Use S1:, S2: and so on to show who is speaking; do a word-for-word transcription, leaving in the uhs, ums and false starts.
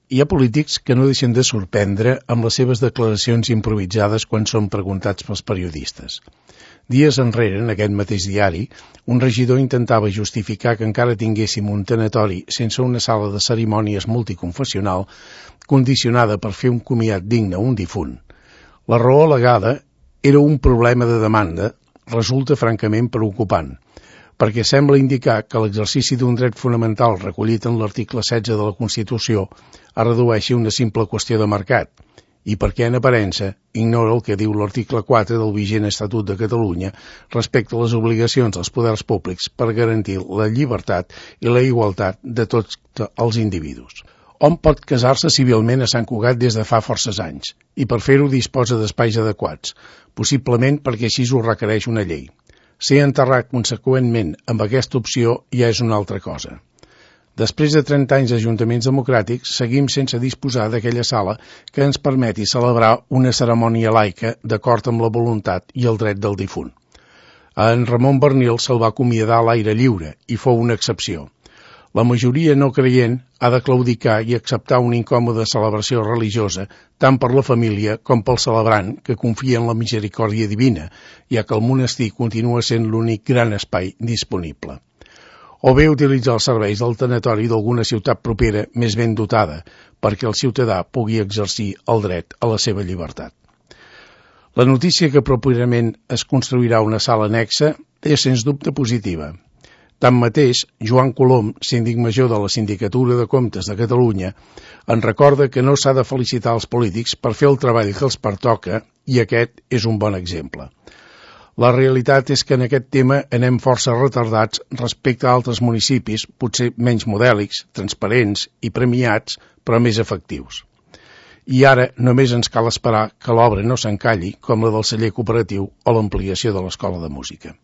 S1: Hi ha polítics que no deixen de sorprendre amb les seves declaracions improvisades quan són preguntats pels periodistes. Dies enrere, en aquest mateix diari, un regidor intentava justificar que encara tinguéssim un tanatori sense una sala de cerimònies multiconfessional condicionada per fer un comiat digne a un difunt. La raó al·legada era un problema de demanda, resulta francament preocupant, perquè sembla indicar que l'exercici d'un dret fonamental recollit en l'article setze de la Constitució es redueixi a una simple qüestió de mercat, i perquè en aparença ignora el que diu l'article quatre del vigent Estatut de Catalunya respecte a les obligacions dels poders públics per garantir la llibertat i la igualtat de tots els individus. Hom pot casar-se civilment a Sant Cugat des de fa forces anys, i per fer-ho disposa d'espais adequats, possiblement perquè així ho requereix una llei. Ser enterrat conseqüentment amb aquesta opció ja és una altra cosa. Després de trenta anys d'ajuntaments democràtics, seguim sense disposar d'aquella sala que ens permeti celebrar una cerimònia laica d'acord amb la voluntat i el dret del difunt. A en Ramon Bernil se'l va acomiadar a l'aire lliure i fou una excepció. La majoria no creient ha de claudicar i acceptar una incòmoda celebració religiosa tant per la família com pel celebrant que confia en la misericòrdia divina, ja que el monestir continua sent l'únic gran espai disponible. O bé utilitzar els serveis del tanatori d'alguna ciutat propera més ben dotada perquè el ciutadà pugui exercir el dret a la seva llibertat. La notícia que properament es construirà una sala anexa és sens dubte positiva. Tanmateix, Joan Colom, síndic major de la Sindicatura de Comptes de Catalunya, en recorda que no s'ha de felicitar els polítics per fer el treball que els pertoca i aquest és un bon exemple. La realitat és que en aquest tema anem força retardats respecte a altres municipis, potser menys modèlics, transparents i premiats, però més efectius. I ara només ens cal esperar que l'obra no s'encalli, com la del celler cooperatiu o l'ampliació de l'escola de música.